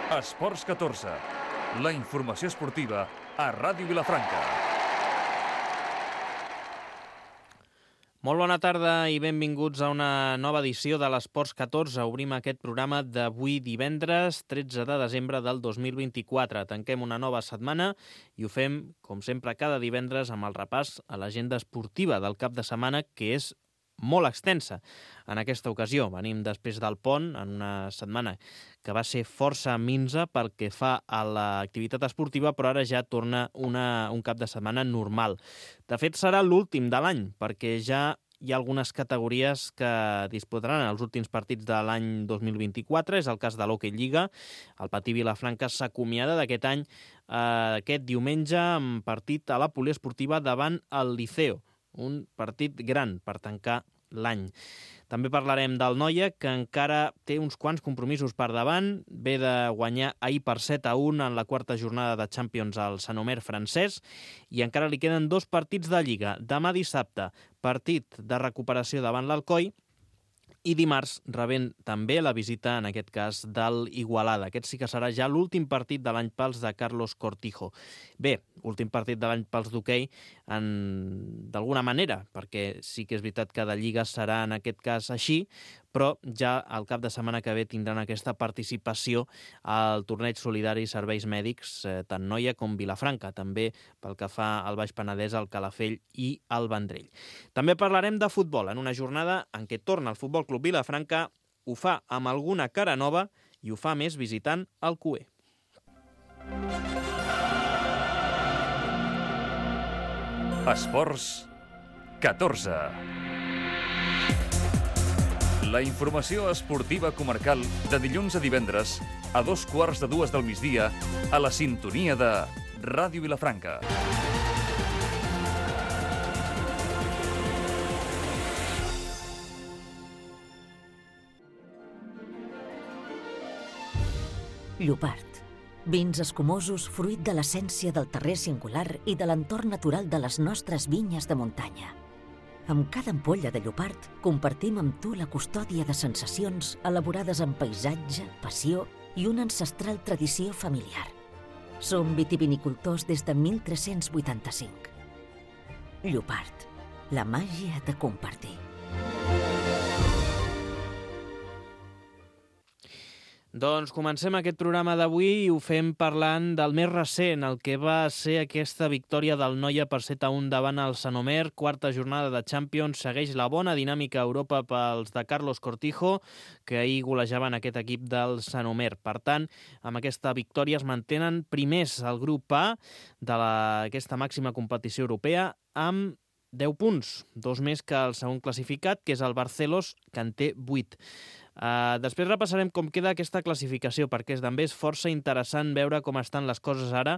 Esports 14, la informació esportiva a Ràdio Vilafranca. Molt bona tarda i benvinguts a una nova edició de l'Esports 14. Obrim aquest programa d'avui divendres, 13 de desembre del 2024. Tanquem una nova setmana i ho fem, com sempre, cada divendres amb el repàs a l'agenda esportiva del cap de setmana, que és molt extensa. En aquesta ocasió venim després del pont, en una setmana que va ser força minsa pel que fa a l'activitat esportiva, però ara ja torna un cap de setmana normal. De fet, serà l'últim de l'any, perquè ja hi ha algunes categories que disputaran els últims partits de l'any 2024. És el cas de l'Hockey Lliga. El Patí Vilafranca s'acomiada d'aquest any aquest diumenge amb partit a la poliesportiva davant el Liceo. Un partit gran per tancar l'any. També parlarem del Noia, que encara té uns quants compromisos per davant. Ve de guanyar ahir per 7-1 en la quarta jornada de Champions al Saint-Omer francès i encara li queden 2 partits de Lliga. Demà dissabte, partit de recuperació davant l'Alcoi, i dimarts rebent també la visita, en aquest cas, del Igualada. Aquest sí que serà ja l'últim partit de l'any pels de Carlos Cortijo. Bé, últim partit de l'any pels d'hoquei d'alguna manera, perquè sí que és veritat que de Lliga serà en aquest cas així, però ja el cap de setmana que ve tindran aquesta participació al torneig solidari Serveis Mèdics, tant Noia com Vilafranca, també pel que fa al Baix Penedès, al Calafell i al Vendrell. També parlarem de futbol, en una jornada en què torna el Futbol Club Vilafranca, ho fa amb alguna cara nova i ho fa més visitant el CUE. Esports 14. La informació esportiva comarcal de dilluns a divendres a 2:15 del migdia a la sintonia de Ràdio Vilafranca. Llopart. Vins escumosos fruit de l'essència del terrer singular i de l'entorn natural de les nostres vinyes de muntanya. Amb cada ampolla de Llopart compartim amb tu la custòdia de sensacions elaborades amb paisatge, passió i una ancestral tradició familiar. Som vitivinicultors des de 1385. Llopart, la màgia de compartir. Doncs comencem aquest programa d'avui i ho fem parlant del més recent, el que va ser aquesta victòria del Noia per 7-1 davant el Saint-Omer. Quarta jornada de Champions, segueix la bona dinàmica a Europa pels de Carlos Cortijo, que ahir golejaven aquest equip del Saint-Omer. Per tant, amb aquesta victòria es mantenen primers al grup A d'aquesta màxima competició europea amb 10 punts, 2 més que el segon classificat, que és el Barcelos, que en té 8. Després repassarem com queda aquesta classificació, perquè també és força interessant veure com estan les coses ara,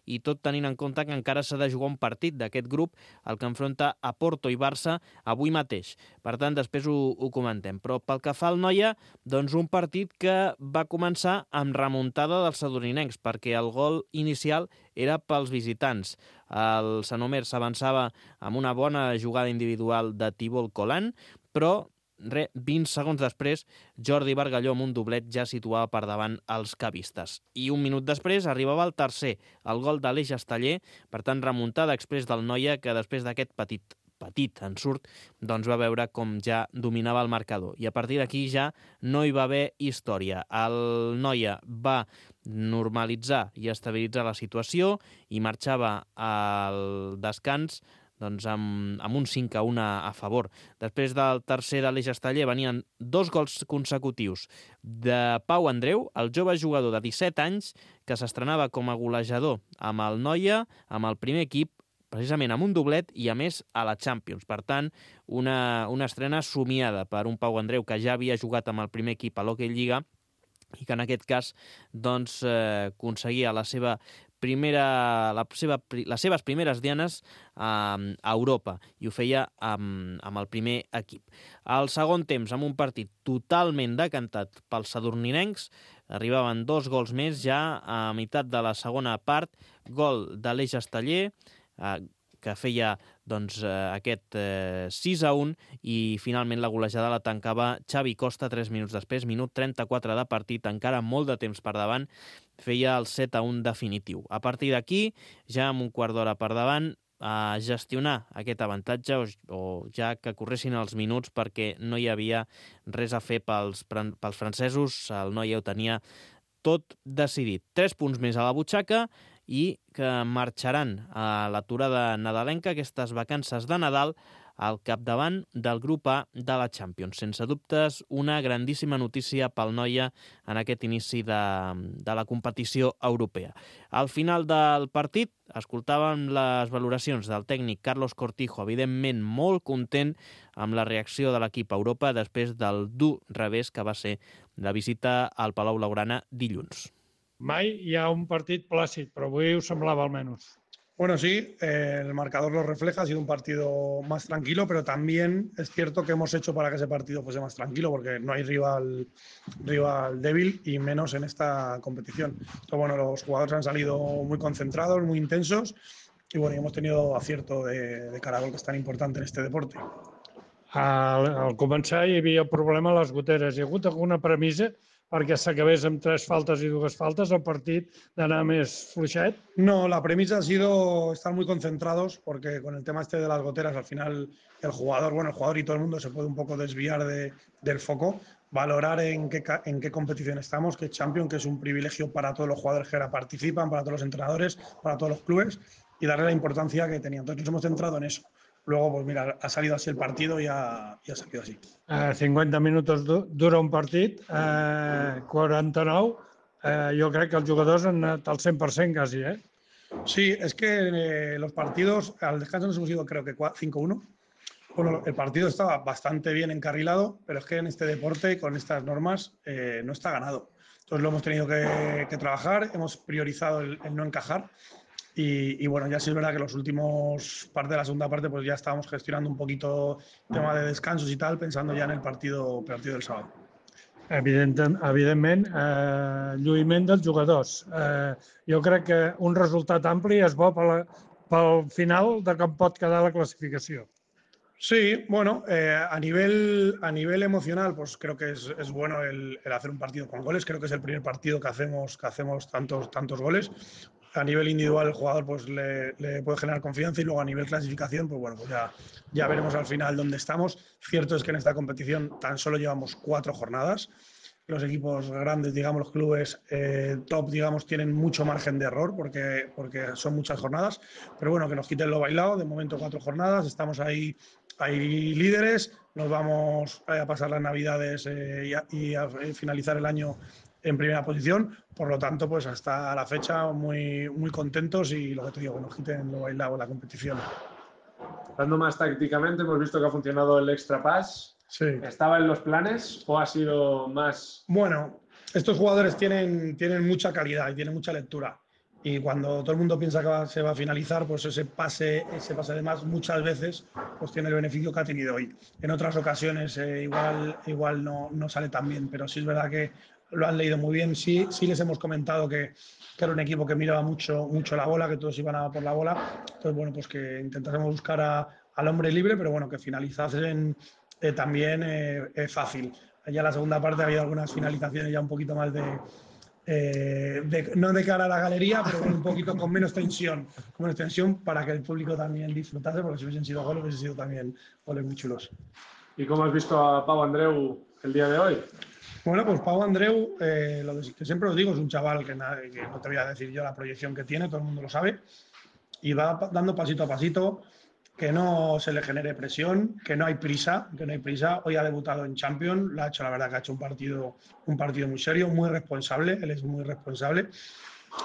i tot tenint en compte que encara s'ha de jugar un partit d'aquest grup, el que enfronta a Porto i Barça avui mateix. Per tant, després ho comentem. Però pel que fa al Noia, doncs un partit que va començar amb remuntada dels sadorinencs, perquè el gol inicial era pels visitants. El Saint-Omer s'avançava amb una bona jugada individual de Thibault Colan, però 20 segons després, Jordi Bargalló amb un doblet ja situava per davant els cavistes. I un minut després arribava el tercer, el gol d'Aleix Esteller, per tant remuntada exprés del Noia, que després d'aquest petit ensurt, doncs va veure com ja dominava el marcador. I a partir d'aquí ja no hi va haver història. El Noia va normalitzar i estabilitzar la situació i marxava al descans doncs amb un 5-1 a favor. Després del tercer d'Aleix Esteller venien 2 gols consecutius de Pau Andreu, el jove jugador de 17 anys que s'estrenava com a golejador amb el Noia, amb el primer equip, precisament amb un doblet i a més a la Champions. Per tant, una estrena somiada per un Pau Andreu que ja havia jugat amb el primer equip a l'Hockey Lliga i que en aquest cas doncs, aconseguia les seves primeres dianes a Europa, i ho feia amb el primer equip. Al segon temps, amb un partit totalment decantat pels sadurninencs, arribaven 2 gols més ja a meitat de la segona part, gol d'Aleix Esteller, que feia doncs, aquest 6-1 i finalment la golejada la tancava Xavi Costa 3 minuts després, minut 34 de partit, encara molt de temps per davant, feia el 7-1 definitiu. A partir d'aquí, ja amb un quart d'hora per davant, a gestionar aquest avantatge o ja que corressin els minuts perquè no hi havia res a fer pels francesos, el Noia ho tenia tot decidit. 3 punts més a la butxaca i que marxaran a l'aturada nadalenca, aquestes vacances de Nadal, al capdavant del grup A de la Champions. Sense dubtes, una grandíssima notícia pel Noia en aquest inici de la competició europea. Al final del partit escoltàvem les valoracions del tècnic Carlos Cortijo, evidentment molt content amb la reacció de l'equip a Europa després del dur revés que va ser la visita al Palau Blaugrana dilluns. Mai hi ha un partit plàcid, però avui ho semblava almenys. Bueno, sí, el marcador lo refleja, ha sido un partido más tranquilo, pero también es cierto que hemos hecho para que ese partido fuese más tranquilo, porque no hay rival débil y menos en esta competición. Entonces, bueno, los jugadores han salido muy concentrados, muy intensos y bueno, hemos tenido acierto de cara a gol, que es tan importante en este deporte. Al començar hi havia el problema a les goteres. Hi ha hagut alguna premissa perquè s'acabés amb 3 faltes y 2 faltes, el partit d'anar més fluixet? No, la premisa ha sido estar muy concentrados porque con el tema este de las goteras al final el jugador y todo el mundo se puede un poco desviar del foco, valorar en qué competición estamos, que es Champions, que es un privilegio para todos los jugadores que ahora participan, para todos los entrenadores, para todos los clubes y darle la importancia que tenía. Entonces nos hemos centrado en eso. Luego, pues mira, ha salido así el partido y ha salido así. 50 minuts dura un partit, 49, jo crec que els jugadors han anat al 100% quasi, ¿eh? Sí, es que los partidos, al descanso nos hemos ido creo que 5-1. Bueno, el partido estaba bastante bien encarrilado, pero es que en este deporte, con estas normas, no está ganado. Entonces lo hemos tenido que trabajar, hemos priorizado el no encajar. Y bueno, ya sí es verdad que los últimos parte de la segunda parte pues ya estábamos gestionando un poquito el tema de descansos y tal, pensando ya en el partido del sábado. Evidentment, lluïment dels jugadors. Jo crec que un resultat ampli és bo pel final de com pot quedar la clasificació. Sí, bueno, a nivel emocional, pues creo que es bueno el hacer un partido con goles. Creo que es el primer partido que hacemos tantos goles. A nivel individual el jugador pues le puede generar confianza y luego a nivel clasificación pues bueno, pues ya veremos al final dónde estamos. Cierto es que en esta competición tan solo llevamos 4 jornadas. Los equipos grandes, digamos, los clubes top, digamos, tienen mucho margen de error porque son muchas jornadas. Pero bueno, que nos quiten lo bailado. De momento 4 jornadas, estamos ahí líderes. Nos vamos a pasar las Navidades y a finalizar el año en primera posición, por lo tanto, pues hasta la fecha muy contentos y lo que te digo, que nos quiten lo bailado en la competición. Hablando más tácticamente, hemos visto que ha funcionado el extra pass. Sí. ¿Estaba en los planes o ha sido más...? Bueno, estos jugadores tienen mucha calidad y tienen mucha lectura. Y cuando todo el mundo piensa que se va a finalizar, pues ese pase de más muchas veces pues tiene el beneficio que ha tenido hoy. En otras ocasiones igual no sale tan bien, pero sí es verdad que lo han leído muy bien. Sí les hemos comentado que era un equipo que miraba mucho la bola, que todos iban a por la bola. Entonces, bueno, pues que intentásemos buscar al hombre libre, pero bueno, que finalizasen también fácil. Ya en la segunda parte había algunas finalizaciones ya un poquito más no de cara a la galería, pero un poquito con menos tensión para que el público también disfrutase, porque si hubiesen sido goles, hubiesen sido también goles muy chulos. ¿Y cómo has visto a Pau Andreu el día de hoy? Bueno, pues Pau Andreu, lo que siempre os digo, es un chaval que no te voy a decir yo la proyección que tiene, todo el mundo lo sabe, y va dando pasito a pasito, que no se le genere presión, que no hay prisa. Hoy ha debutado en Champions, la verdad que ha hecho un partido muy serio, muy responsable, él es muy responsable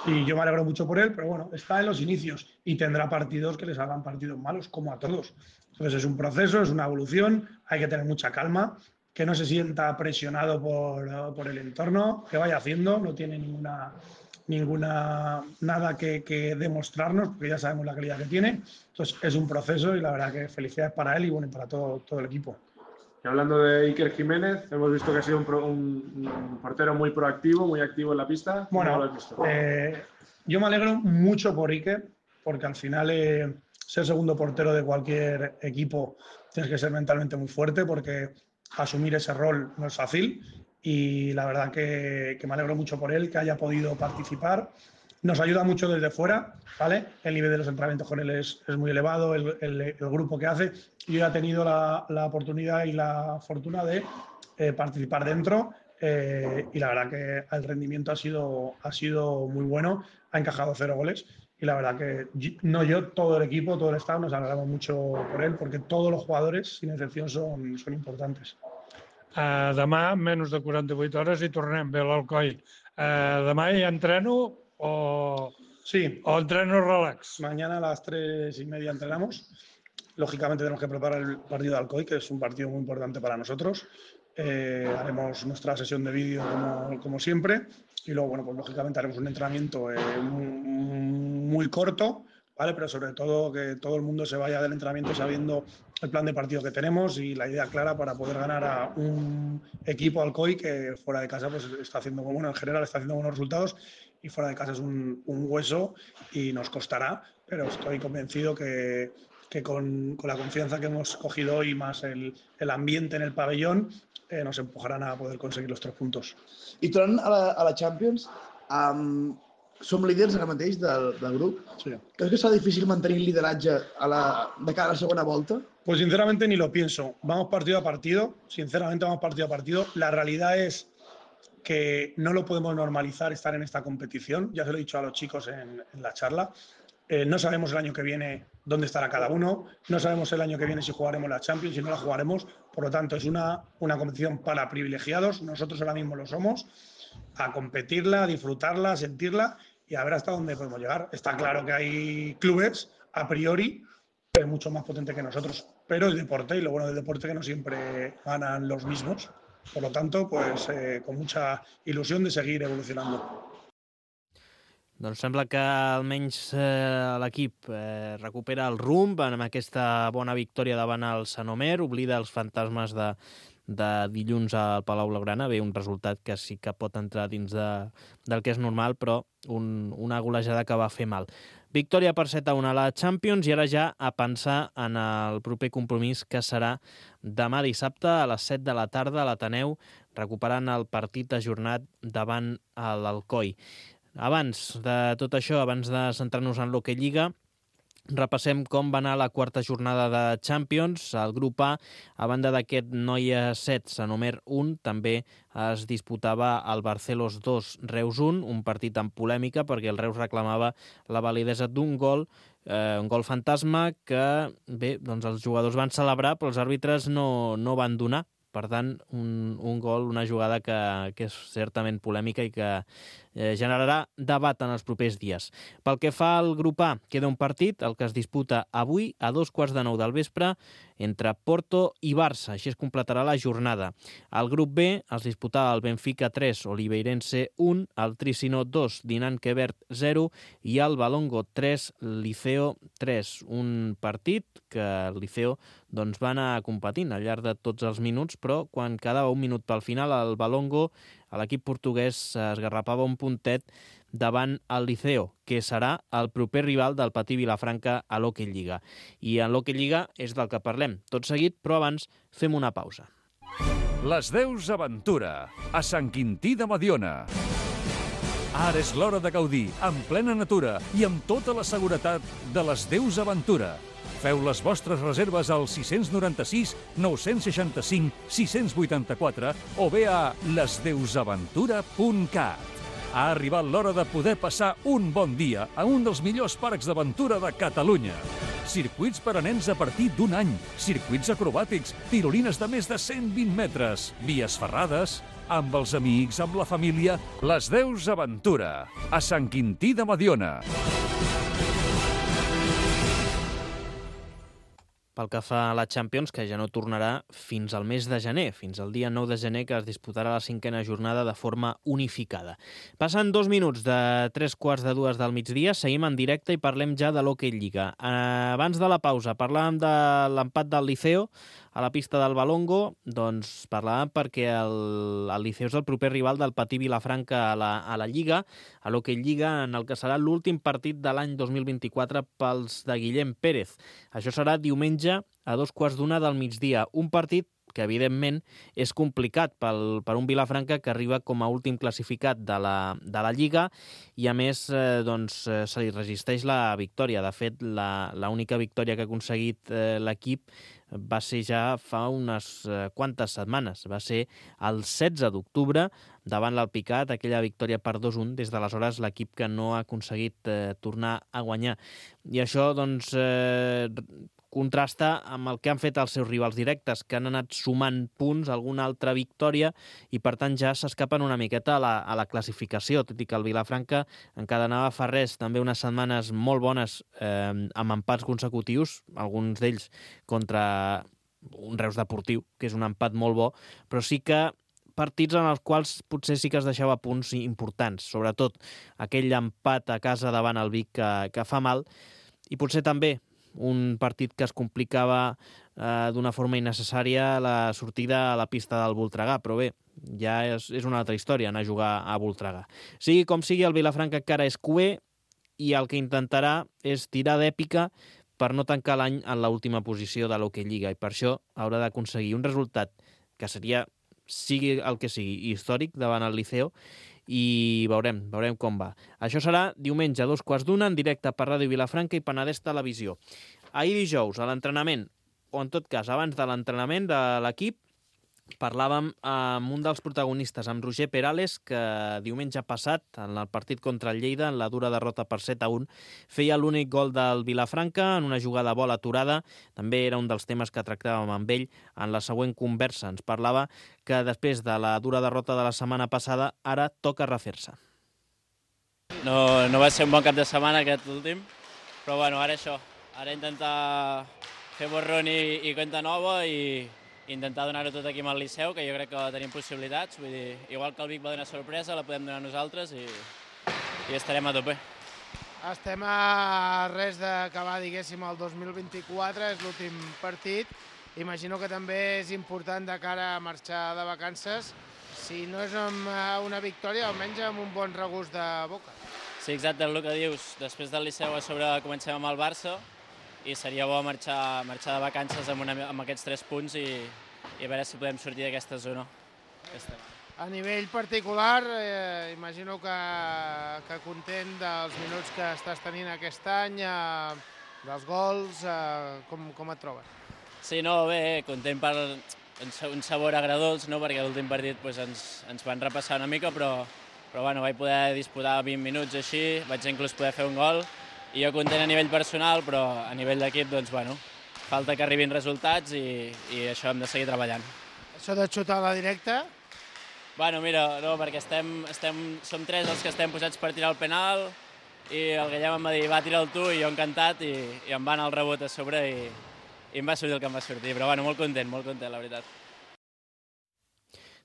y yo me alegro mucho por él, pero bueno, está en los inicios y tendrá partidos que les hagan partidos malos como a todos. Entonces es un proceso, es una evolución, hay que tener mucha calma, que no se sienta presionado por el entorno, que vaya haciendo, no tiene nada que demostrarnos, porque ya sabemos la calidad que tiene. Entonces es un proceso y la verdad que felicidades para él y bueno, para todo el equipo. Y hablando de Iker Jiménez, hemos visto que ha sido un portero muy proactivo, muy activo en la pista. Bueno, ¿Cómo lo has visto? yo me alegro mucho por Iker, porque al final ser segundo portero de cualquier equipo tienes que ser mentalmente muy fuerte, porque asumir ese rol no es fácil, y la verdad que me alegro mucho por él, que haya podido participar. Nos ayuda mucho desde fuera, ¿vale? El nivel de los entrenamientos con él es muy elevado, el grupo que hace. Yo ya he tenido la oportunidad y la fortuna de participar dentro, y la verdad que el rendimiento ha sido muy bueno, ha encajado 0 goles, y la verdad que todo el equipo, todo el staff nos alegramos mucho por él, porque todos los jugadores, sin excepción, son importantes. Demà, menys de 48 hores, i tornem bé a l'Alcoi. Demà hi entreno Sí. o entreno relax? Mañana a las 3:30 entrenamos. Lógicamente tenemos que preparar el partido de Alcoy, que es un partido muy importante para nosotros. Haremos nuestra sesión de vídeo como siempre, y luego, bueno, pues lógicamente haremos un entrenamiento muy corto, ¿vale? Pero sobre todo que todo el mundo se vaya del entrenamiento sabiendo el plan de partido que tenemos y la idea clara para poder ganar a un equipo Alcoy que fuera de casa pues está haciendo, bueno, en general está haciendo buenos resultados, y fuera de casa es un hueso y nos costará, pero estoy convencido que con la confianza que hemos cogido hoy, más el ambiente en el pabellón, nos empujarán a poder conseguir los 3 puntos. I tornant a la Champions, som líders ara mateix del grup. Sí. Creus que serà difícil mantenir el lideratge de cara a la segona volta? Pues sinceramente ni lo pienso. Vamos partido a partido. La realidad es que no lo podemos normalizar estar en esta competición. Ya se lo he dicho a los chicos en la charla. No sabemos el año que viene dónde estará cada uno. No sabemos el año que viene si jugaremos la Champions, si no la jugaremos. Por lo tanto, es una competición para privilegiados. Nosotros ahora mismo lo somos. A competirla, a disfrutarla, a sentirla y a ver hasta dónde podemos llegar. Está claro que hay clubes, a priori, mucho más potentes que nosotros. Pero el deporte, y lo bueno del deporte, que no siempre ganan los mismos. Por lo tanto, pues con mucha il·lusió de seguir evolucionando. Doncs sembla que almenys l'equip recupera el rumb amb aquesta bona victòria davant el Saint-Omer, oblida els fantasmes de dilluns al Palau Blaugrana. Bé, un resultat que sí que pot entrar dins del que és normal, però una golejada que va fer mal. Victòria per 7-1 a la Champions, i ara ja a pensar en el proper compromís, que serà demà dissabte a les 7 de la tarda a l'Ateneu, recuperant el partit ajornat davant l'Alcoi. Abans de tot això, abans de centrar-nos en l'Hockey Lliga, repassem com va anar la quarta jornada de Champions. El grup A, a banda d'aquest Noia 7, Saint-Omer 1, també es disputava el Barcelos 2, Reus 1, un partit amb polèmica perquè el Reus reclamava la validesa d'un gol, un gol fantasma que, bé, doncs els jugadors van celebrar, però els àrbitres no van donar. Per tant, un gol, una jugada que és certament polèmica i que generarà debat en els propers dies. Pel que fa al grup A, queda un partit, el que es disputa avui a 2:15 del vespre, entre Porto i Barça. Així es completarà la jornada. Al grup B es disputava el Benfica 3, Oliveirense 1, el Tricino 2, Dinant Quebert 0 i el Valongo 3, Liceo 3. Un partit que el Liceo doncs, va anar competint al llarg de tots els minuts, però quan quedava un minut pel final, el Valongo, l'equip portuguès, esgarrapava un puntet davant el Liceo, que serà el proper rival del Patí Vilafranca a l'Hockey Lliga. I en l'Hockey Lliga és del que parlem tot seguit, però abans fem una pausa. Les Deus Aventura, a Sant Quintí de Mediona. Ara és l'hora de gaudir, en plena natura i amb tota la seguretat de les Deus Aventura. Feu les vostres reserves al 696 965 684 o bé a lesdeusaventura.cat. Ha arribat l'hora de poder passar un bon dia a un dels millors parcs d'aventura de Catalunya. Circuits per a nens a partir d'un any, circuits acrobàtics, tirolines de més de 120 metres, vies ferrades, amb els amics, amb la família. Les Deus Aventura, a Sant Quintí de Mediona. Pel que fa a la Champions, que ja no tornarà fins al mes de gener, fins al dia 9 de gener, que es disputarà la 5a jornada de forma unificada. Passen 2 minuts de 3:15 del migdia, seguim en directe i parlem ja de l'Hockey Lliga. Abans de la pausa parlàvem de l'empat del Liceo a la pista del Balongo? Doncs parlàvem perquè el Liceo és el proper rival del Patí Vilafranca a la Lliga, a l'Hockey Lliga, en el que serà l'últim partit de l'any 2024 pels de Guillem Pérez. Això serà diumenge a 2:15 del migdia, un partit que evidentment és complicat per un Vilafranca que arriba com a últim classificat de la Lliga i a més se li resisteix la victòria. De fet, l'única victòria que ha aconseguit l'equip va ser ja fa unes quantes setmanes. Va ser el 16 d'octubre davant l'Alpicat, aquella victòria per 2-1. Des d'aleshores l'equip que no ha aconseguit tornar a guanyar. I això contrasta amb el que han fet els seus rivals directes, que han anat sumant punts, alguna altra victòria, i per tant ja s'escapen una miqueta a la classificació, tot i que el Vilafranca encadenava fa res també unes setmanes molt bones amb empats consecutius, alguns d'ells contra un Reus Deportiu, que és un empat molt bo, però sí que partits en els quals potser sí que es deixava punts importants, sobretot aquell empat a casa davant el Vic que fa mal, i potser també un partit que es complicava d'una forma innecessària la sortida a la pista del Voltregà, però bé, ja és una altra història anar a jugar a Voltregà. Sigui com sigui, el Vilafranca encara és cuer i el que intentarà és tirar d'èpica per no tancar l'any en l'última posició de l'Hockey Lliga, i per això haurà d'aconseguir un resultat que seria, sigui el que sigui, històric davant el Liceo, i veurem com va. Això serà diumenge a 2:15 en directe per Ràdio Vilafranca i Penedès Televisió. Ahir dijous, a l'entrenament, o en tot cas abans de l'entrenament de l'equip, parlàvem amb un dels protagonistes, amb Roger Perales, que diumenge passat, en el partit contra el Lleida, en la dura derrota per 7-1, feia l'únic gol del Vilafranca en una jugada a bola aturada. També era un dels temes que tractàvem amb ell en la següent conversa. Ens parlava que després de la dura derrota de la setmana passada, ara toca refer-se. No va ser un bon cap de setmana aquest últim, però bueno, ara això. Ara intentar fer borrón i compte nova i intentar donar-ho tot aquí amb el Liceu, que jo crec que tenim possibilitats. Vull dir, igual que el Vic va donar sorpresa, la podem donar nosaltres i estarem a tope. Estem a res d'acabar, diguéssim, el 2024, és l'últim partit. Imagino que també és important de cara a marxar de vacances, si no és amb una victòria, almenys amb un bon regust de boca. Sí, exacte, el que dius. Després del Liceu a sobre comencem amb el Barça, i seria bo marxar de vacances amb aquests 3 punts i a veure si podem sortir d'aquesta zona. A nivell particular, imagino que content dels minuts que estàs tenint aquest any, dels gols, com et trobes? Sí, no, bé, content per un sabor agradós, no? Perquè l'últim partit ens van repassar una mica, però bueno, vaig poder disputar 20 minuts així, vaig inclús poder fer un gol, i jo content a nivell personal, però a nivell d'equip, doncs, bueno, falta que arribin resultats i això hem de seguir treballant. Això de xutar a la directa? Bueno, mira, no, perquè som 3 els que estem posats per tirar el penal i el Guillem em va dir, va, tira'l tu, i jo encantat, i em va anar el rebot a sobre i em va sortir el que em va sortir. Però bueno, molt content, la veritat.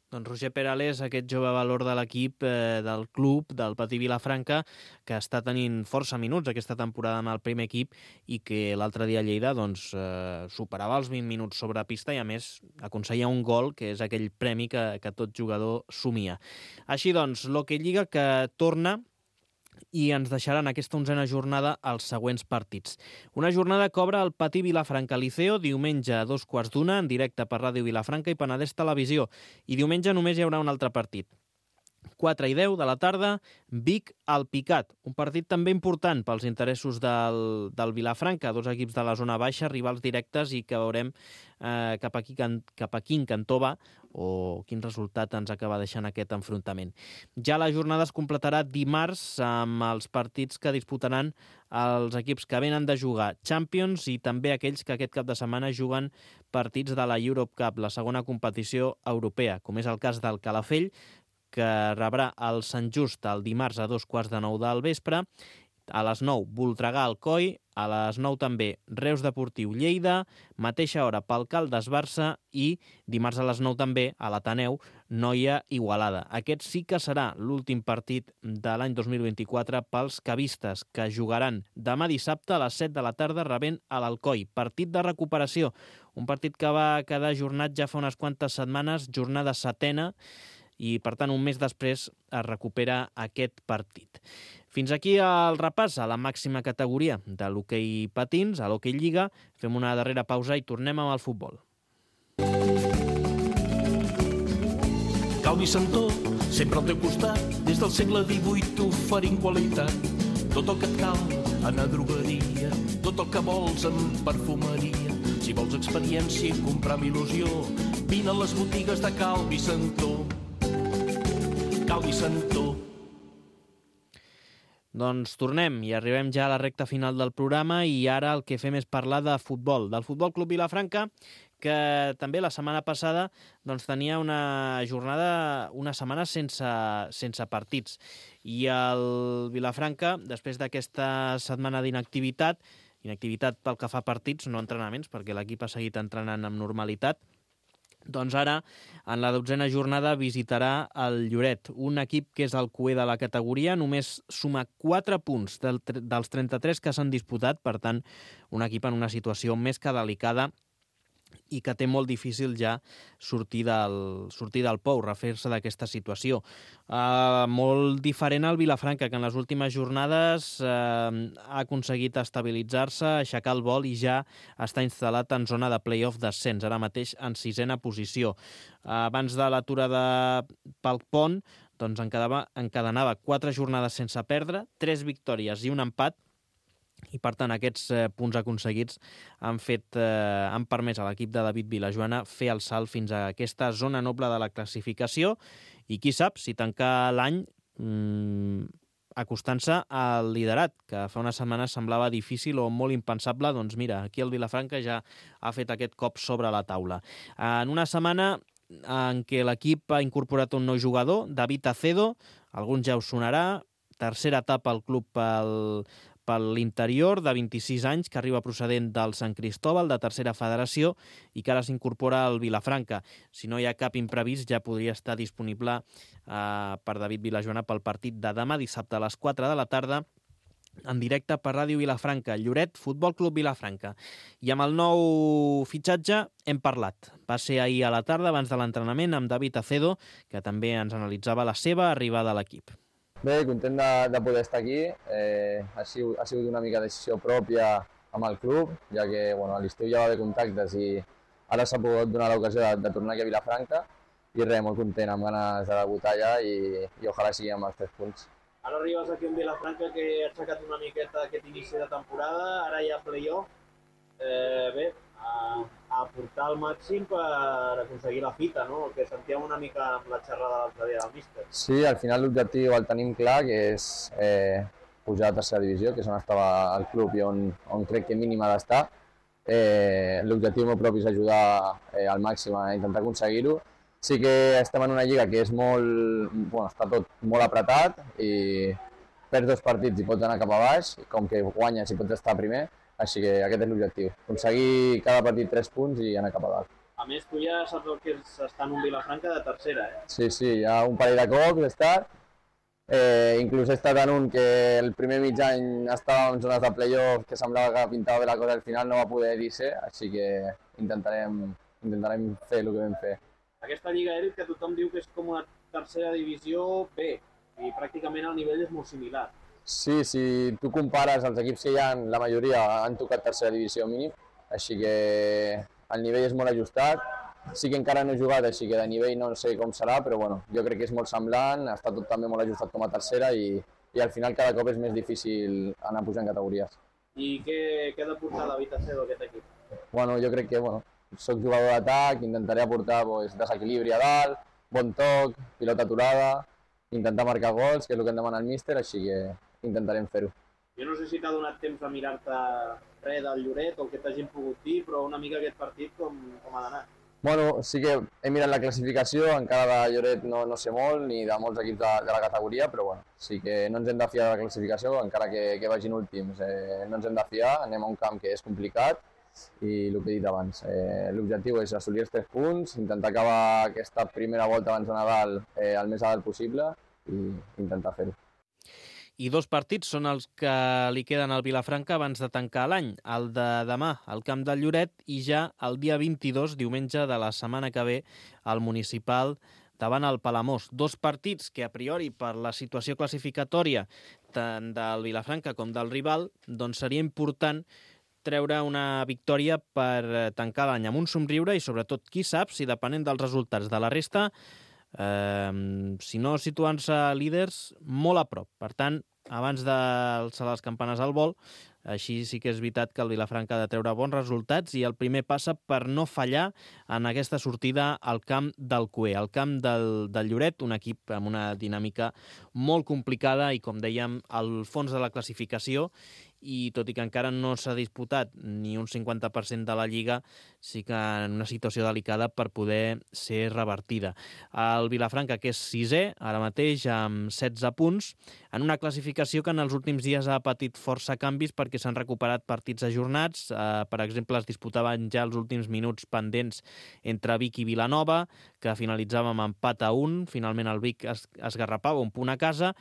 Doncs Roger Perales, aquest jove valor de l'equip, del club, del Patí Vilafranca, que està tenint força minuts aquesta temporada amb el primer equip i que l'altre dia a Lleida superava els 20 minuts sobre pista i a més aconseguia un gol, que és aquell premi que tot jugador somia. Així doncs, l'Hockey Lliga que torna i ens deixarà en aquesta 11a jornada els següents partits. Una jornada que obre el Patí Vilafranca Liceo diumenge a 2:15 en directe per Ràdio Vilafranca i Penedès Televisió. I diumenge només hi haurà un altre partit. 4:10 de la tarda, Vic Alpicat. Un partit també important pels interessos del Vilafranca, 2 equips de la zona baixa, rivals directes, i que veurem cap a quin cantó va o quin resultat ens acaba deixant aquest enfrontament. Ja la jornada es completarà dimarts amb els partits que disputaran els equips que venen de jugar Champions i també aquells que aquest cap de setmana juguen partits de la Europe Cup, la segona competició europea, com és el cas del Calafell, que rebrà el Sant Just el dimarts a 2:15 del vespre. A les 9, Voltregà Alcoi, a les 9 també Reus Deportiu Lleida, mateixa hora pel Caldes Barça i dimarts a les 9 també a l'Ateneu Noia Igualada. Aquest sí que serà l'últim partit de l'any 2024 pels cavistes, que jugaran demà dissabte a les 7 de la tarda rebent a l'Alcoi. Partit de recuperació, Un partit que va quedar ajornat ja fa unes quantes setmanes, jornada 7ª, i per tant un mes després es recupera aquest partit. Fins aquí el repàs a la màxima categoria de l'hoquei patins, a l'hoquei Lliga. Fem una darrera pausa i tornem amb el futbol. Calvi Santó, sempre al teu costat, des del segle XVIII oferint qualitat. Tot el que et cal, anar a drogueria, tot el que vols en perfumeria. Si vols experiència i comprar amb il·lusió, vine a les botigues de Calvi Santó. Calvi Santó. Doncs tornem i arribem ja a la recta final del programa i ara el que fem és parlar de futbol, del Futbol Club Vilafranca, que també la setmana passada tenia una jornada, una setmana sense partits. I el Vilafranca, després d'aquesta setmana d'inactivitat pel que fa a partits, no entrenaments, perquè l'equip ha seguit entrenant amb normalitat, doncs ara, en la 12ª jornada, visitarà el Lloret, un equip que és el cuer de la categoria, només suma 4 punts dels 33 que s'han disputat, per tant, un equip en una situació més que delicada i que té molt difícil ja sortir del pou, refer-se d'aquesta situació. Molt diferent al Vilafranca, que en les últimes jornades ha aconseguit estabilitzar-se, aixecar el vol i ja està instal·lat en zona de play-off d'ascens, ara mateix en 6ª posició. Abans de l'aturada pel pont, doncs encadenava 4 jornades sense perdre, 3 victòries i un empat, i per tant aquests punts aconseguits han permès a l'equip de David Vilajoana fer el salt fins a aquesta zona noble de la classificació i qui sap si tancar l'any acostant-se al liderat, que fa unes setmanes semblava difícil o molt impensable. Doncs mira, aquí el Vilafranca ja ha fet aquest cop sobre la taula. En una setmana en què l'equip ha incorporat un nou jugador, David Acedo, alguns ja us sonarà, tercera etapa al club per l'interior, de 26 anys, que arriba procedent del Sant Cristóbal, de tercera federació, i que ara s'incorpora al Vilafranca. Si no hi ha cap imprevist, ja podria estar disponible per David Vilajoana pel partit de demà, dissabte a les 4 de la tarda, en directe per Ràdio Vilafranca, Lloret, Futbol Club Vilafranca. I amb el nou fitxatge hem parlat. Va ser ahir a la tarda, abans de l'entrenament, amb David Acedo, que també ens analitzava la seva arribada a l'equip. Bé, content de poder estar aquí. Ha sigut una mica decisió pròpia amb el club, ja que a l'estiu ja va haver contactes i ara s'ha pogut donar l'ocasió de tornar aquí a Vilafranca i res, molt content, amb ganes de debutar ja i ojalà sigui amb els 3 punts. Ara arribes aquí a Vilafranca, que ha aixecat una miqueta aquest inici de temporada, ara hi ha play-off. Bé, a portar el màxim per aconseguir la fita, no? El que sentíem una mica amb la xerrada l'altre dia del míster. Sí, al final l'objectiu el tenim clar, que és pujar a tercera divisió, que és on estava el club i on crec que mínim ha d'estar. L'objectiu meu propi és ajudar al màxim a intentar aconseguir-ho. Sí que estem en una lliga que és està tot molt apretat i perds 2 partits i pots anar cap a baix, com que guanyes i pots estar primer. Així que aquest és l'objectiu, aconseguir cada partit 3 punts i anar cap a dalt. A més, tu ja saps el que és estar en un Vilafranca de tercera, Sí, hi ha un parell de cops he estat. Inclús he estat en un que el primer mig any estava en zones de play-off que semblava que pintava bé la cosa, al final no va poder dir-se, així que intentarem fer el que vam fer. Aquesta lliga Eric, que tothom diu que és com una tercera divisió B, i pràcticament el nivell és molt similar. Sí, si tu compares els equips que hi ha, la majoria han tocat tercera divisió mínim, així que el nivell és molt ajustat. Sí que encara no he jugat, així que de nivell no sé com serà, però jo crec que és molt semblant, està tot també molt ajustat com a tercera i al final cada cop és més difícil anar pujant categories. I què ha de portar David Acedo a aquest equip? Jo crec que soc jugador d'atac, intentaré aportar desequilibri a dalt, bon toc, pilota aturada, intentar marcar gols, que és el que em demana el míster, així que intentarem fer-ho. Jo no sé si t'ha donat temps de mirar-te res del Lloret o el que t'hagin pogut dir, però una mica aquest partit com ha d'anar? Sí que he mirat la classificació, encara de Lloret no sé molt, ni de molts equips de la categoria, però sí que no ens hem de fiar de la classificació, encara que vagin últims. No ens hem de fiar, anem a un camp que és complicat i el que he dit abans, l'objectiu és assolir els 3 punts, intentar acabar aquesta primera volta abans de Nadal el més a dalt possible i intentar fer-ho. I 2 partits són els que li queden al Vilafranca abans de tancar l'any. El de demà al camp del Lloret i ja el dia 22, diumenge de la setmana que ve, al Municipal davant el Palamós. 2 partits que a priori per la situació classificatòria tant del Vilafranca com del rival doncs seria important treure una victòria per tancar l'any amb un somriure i sobretot qui sap si depenent dels resultats de la resta si no situant-se líders molt a prop. Per tant, abans d'alçar les campanes al vol, així sí que és veritat que el Vilafranca ha de treure bons resultats i el primer passa per no fallar en aquesta sortida al camp del Cué, al camp del Lloret, un equip amb una dinàmica molt complicada i, com dèiem, al fons de la classificació, i tot i que encara no s'ha disputat ni un 50% de la Lliga, sí que en una situació delicada per poder ser revertida. El Vilafranca, que és 6è, ara mateix amb 16 punts, en una classificació que en els últims dies ha patit força canvis perquè s'han recuperat partits ajornats. Per exemple, es disputaven ja els últims minuts pendents entre Vic i Vilanova, que finalitzava amb empat a 1. Finalment el Vic esgarrapava un punt a casa.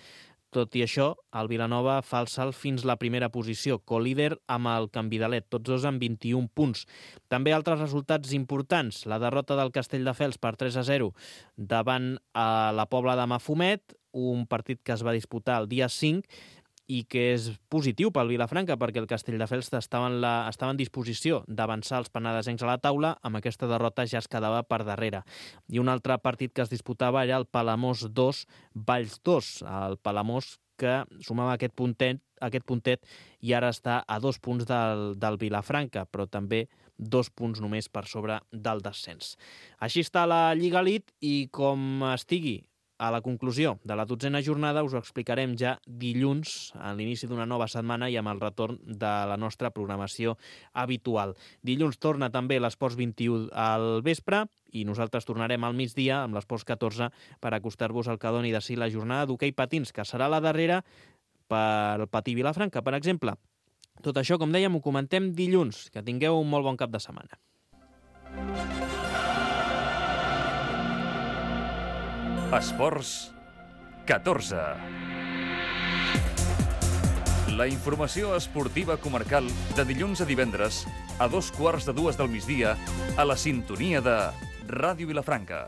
Tot i això, el Vilanova fa el salt fins la primera posició, co-líder amb el Canvidalet, tots dos amb 21 punts. També altres resultats importants, la derrota del Castelldefels per 3-0 davant la Pobla de Mafumet, un partit que es va disputar el dia 5 i que és positiu pel Vilafranca perquè el Castelldefels estava en disposició d'avançar els penedesencs a la taula, amb aquesta derrota ja es quedava per darrere. I un altre partit que es disputava era el Palamós 2, Valls 2, el Palamós que sumava aquest puntet i ara està a 2 punts del Vilafranca, però també 2 punts només per sobre del descens. Així està la Lliga Elite i com estigui a la conclusió de la 12a jornada us ho explicarem ja dilluns, a l'inici d'una nova setmana i amb el retorn de la nostra programació habitual. Dilluns torna també l'Esports 21 al vespre i nosaltres tornarem al migdia amb l'Esports 14 per acostar-vos al que doni de si la jornada d'hoquei patins, que serà la darrera per patir Vilafranca, per exemple. Tot això, com dèiem, ho comentem dilluns. Que tingueu un molt bon cap de setmana. Esports 14. La informació esportiva comarcal de dilluns a divendres a 2:15 del migdia a la sintonia de Ràdio Vilafranca.